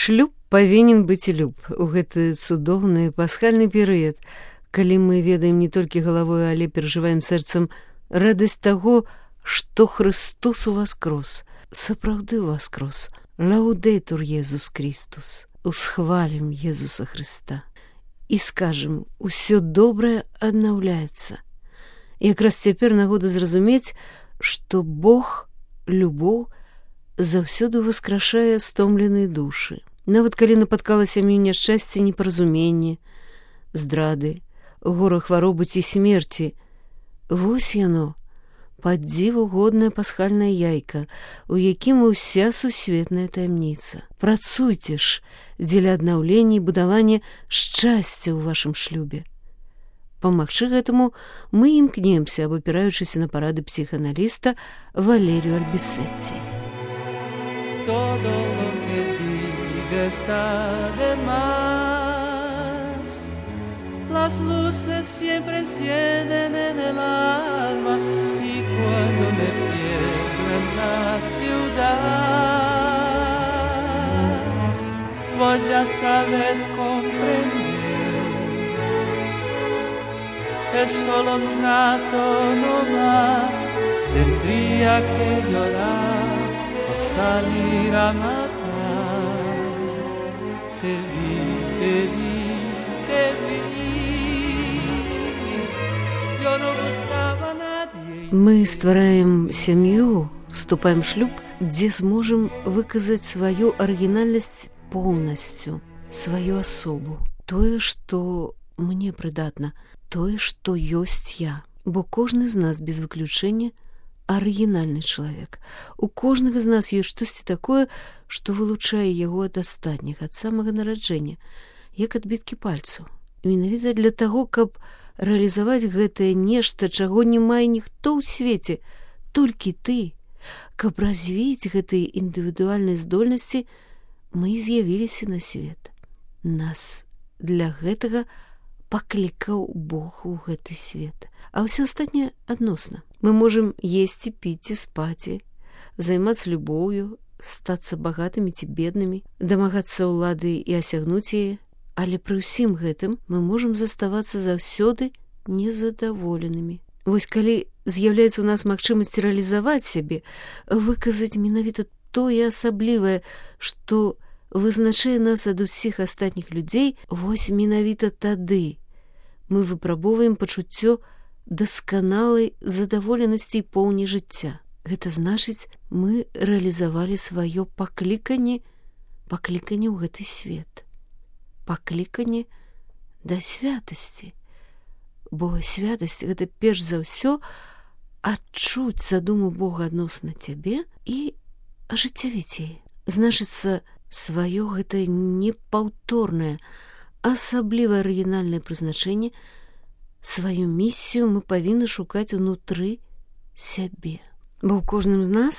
Шлюб павінен быць люб у гэты цудоўны пасхальны перыяд, калі мы ведаем не толькі галавой, але перажываем сэрцам радасць таго, што Христос уваскрос, сапраўды уваскрос. Лаўдэйтур Езус Христус. Усхвалім Езуса Христа. І скажем, усё добрае аднаўляецца. Якраз цяпер нагода зразумець, што Бог, любоў, заўсёды воскрашае стомленыя душы. Нават калі напаткала сям'ю няшчасце, непаразуменне, здрады, гора хваробы ці смерці, вось яно, пад дзіву годная пасхальная яйка, у якім уся сусветная таямніца. Працуйце ж дзеля аднаўлення і будавання шчасця ў вашым шлюбе. Памагчы гэтаму мы імкнемся, абапіраючыся на парады псіхааналіста Валерію Альбісетці. Todo lo que diga está de más. Las luces siempre encienden en el alma y cuando me pierdo en la ciudad, vos ya sabes comprender. Es solo un rato no más, tendría que llorar o salir a matar. Te vi, te vi, te vi. Yo no buscaba a nadie. Мы ствараем сям'ю, вступаем в шлюб, дзе зможам выказаць сваю арыгінальнасць поўнасцю, сваю асобу. Тое, што мне прыдатна, тое, што ёсць я. Бо кожны з нас без выключэння арыгінальны чалавек. У кожнага з нас ёсць штосьці такое, што вылучае яго ад астатніх, ад самага нараджэння, як адбіткі пальцаў. Менавіта для таго, каб рэалізаваць гэтае нешта, чаго не мае ніхто ў свеце, толькі ты, каб развіць гэтыя індывідуальныя здольнасці, мы з'явіліся на свет. Нас для гэтага паклікаў Бог у гэты свет. А ўсё астатняе адносна. Мы можам есці, піць, спаць, займацца любоўю, стацца багатымі ці беднымі, дамагацца ўлады і асягнуць яе, але пры ўсім гэтым мы можам заставацца заўсёды незадаволенымі. Вось калі з'яўляецца ў нас магчымасць рэалізаваць сябе, выказаць менавіта тое асаблівае, што вызначае нас ад усіх астатніх людзей, вось менавіта тады мы выпрабоўваем пачуццё дасканалай задаволенасці і поўні жыцця. Гэта значыць, мы рэалізавалі сваё пакліканне ў гэты свет. Пакліканне да святасці. Бо святасць — гэта перш за ўсё адчуць задуму Бога адносна цябе і ажыццявіць яе. Значыцца, сваё гэта непаўторнае, асабліва арыгінальнае прызначэнне, сваю місію мы павінны шукаць унутры сябе. Бо ў кожным з нас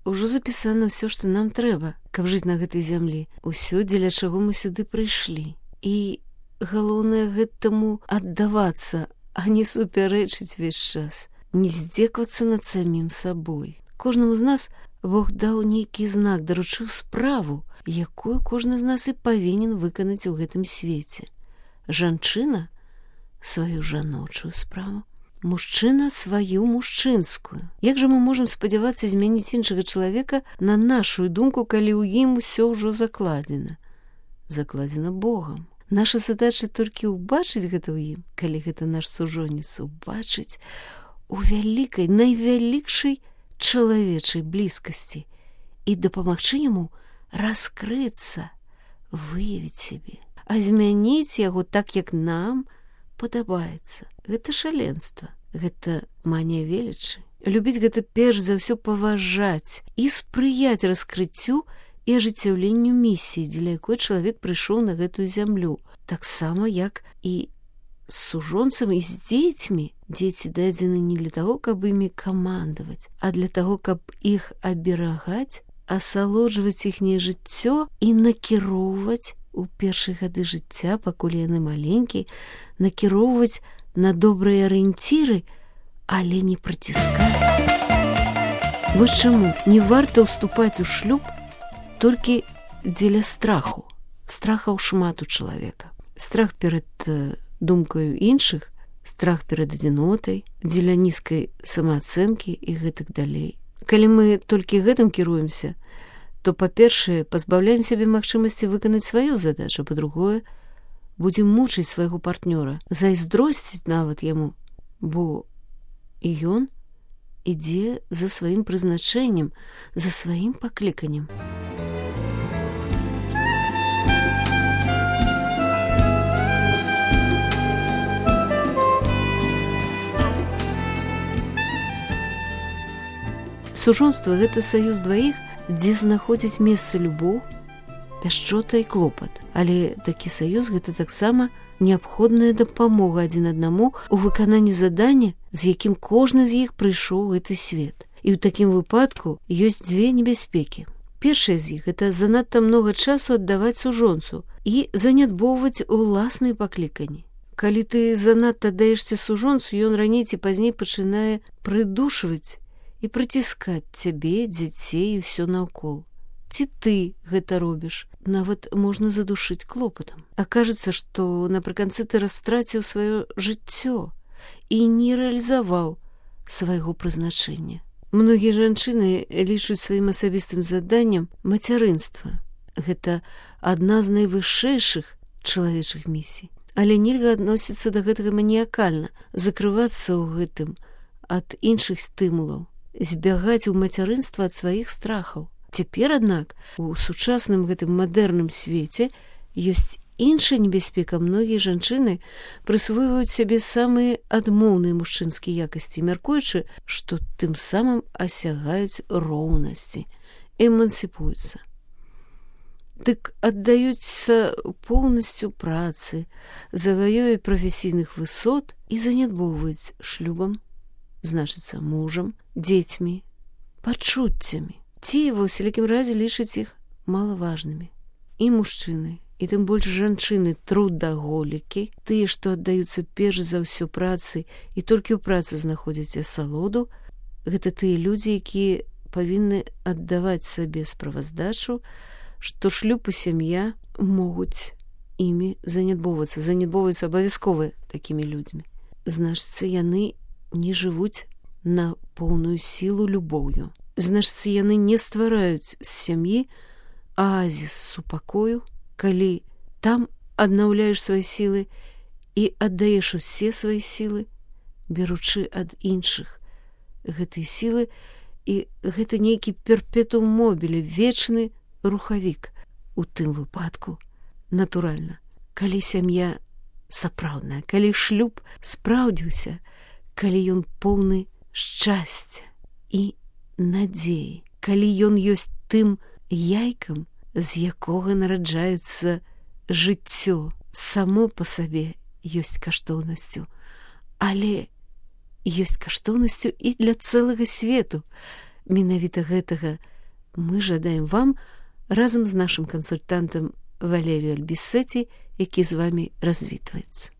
ужо запісана ўсё, што нам трэба, каб жыць на гэтай зямлі. Усё, дзеля чаго мы сюды прыйшлі. І галоўнае гэтаму аддавацца, а не супярэчыць увесь час, не здзеквацца над самім сабой. Кожнаму з нас Бог даў нейкі знак, даручыў справу, якую кожны з нас і павінен выканаць у гэтым свеце. Жанчына — сваю жаночую справу, мужчына — сваю мужчынскую. Як жа мы можам спадзявацца змяніць іншага чалавека на нашу думку, калі ў ім усё ўжо закладзена? Закладзена Богам. Наша задача толькі ўбачыць гэта ў ім, калі гэта наш сужонец, убачыць у вялікай, найвялікшай чалавечай блізкасці і дапамагчы яму раскрыцца, выявіць сябе, а змяніць яго так, як нам падабаецца. Гэта шаленства, гэта манія велічы. Любіць — гэта перш за ўсё паважаць і спрыяць раскрыццю і ажыццяўленню місіі, дзеля якой чалавек прыйшоў на гэтую зямлю. Таксама, як і з сужонцам і з дзецьмі. Дзеці дадзены не для таго, каб імі камандаваць, а для таго, каб іх аберагаць, асалоджваць іхняе жыццё і накіроўваць у першыя гады жыцця, пакуль яны маленькія, накіроўваць на добрыя арыенціры, але не прыціскаць. Вось чаму не варта ўступаць у шлюб толькі дзеля страху. Страхаў шмат у чалавека. Страх перад думкаю іншых, страх перад адзінотай, дзеля нізкай самаацэнкі і гэтак далей. Калі мы толькі гэтым кіруемся, то, па-першае, пазбаўляем сябе магчымасці выканаць сваю задачу, па-другое, будзем мучыць свайго партнёра, зайздросціць нават яму, бо і ён ідзе за сваім прызначэннем, за сваім пакліканнем. Сужонства – гэта саюз дваіх, дзе знаходзіць месца любоў, пяшчота і клопат. Але такі саюз – гэта таксама неабходная дапамога адзін аднаму ў выкананні задання, з якім кожны з іх прыйшоў у гэты свет. І ў такім выпадку ёсць дзве небяспекі. Першая з іх – гэта занадта многа часу аддаваць сужонцу і занядбоўваць уласныя пакліканні. Калі ты занадта аддаешся сужонцу, ён раней ці пазней пачынае прыдушваць і прыціскаць цябе, дзяцей і ўсё наўкол. Ці ты гэта робіш, нават можна задушыць клопатам. Акажацца, што напрыканцы ты растраціў сваё жыццё і не рэалізаваў свайго прызначэння. Многія жанчыны лічуць сваім асабістым заданнем мацярынства. Гэта адна з найвышэйшых чалавечых місій. Але нельга адносіцца да гэтага маніякальна, закрывацца ў гэтым ад іншых стымулаў, збягаць у мацярынства ад сваіх страхаў. Цяпер, аднак, у сучасным гэтым мадэрным свеце ёсць іншая небяспека. Многія жанчыны прысвойваюць сябе самыя адмоўныя мужчынскія якасці, мяркуючы, што тым самым асягаюць роўнасці, эмансіпуюцца. Дык аддаюцца поўнасцю працы, заваёве прафесійных высот і занядбоўваюць шлюбам, значыцца мужам, дзецьмі, пачуццямі. Ці ва ўсялякім разе лічаць іх малаважнымі. І мужчыны, і тым больш жанчыны трудаголікі, тыя, што аддаюцца перш за ўсё працы і толькі ў працы знаходзяць асалоду, гэта тыя людзі, якія павінны аддаваць сабе справаздачу, што шлюб і сям'я могуць імі занядбоўвацца абавязкова такімі людзьмі. Значыцца, яны не жывуць на поўную сілу любоўю. Значыцца, яны не ствараюць з сям'і аазіс супакою, калі там аднаўляеш свае сілы і аддаеш усе свае сілы, беручы ад іншых гэтыя сілы, і гэта нейкі перпетум мобіле, вечны рухавік. У тым выпадку, натуральна, калі сям'я сапраўдная, калі шлюб спраўдзіўся, калі ён поўны шчасця і надзеі, калі ён ёсць тым яйкам, з якога нараджаецца жыццё, само па сабе ёсць каштоўнасцю, але ёсць каштоўнасцю і для цэлага свету. Менавіта гэтага мы жадаем вам разам з нашым кансультантам Валерію Альбісеці, які з вамі развітваецца.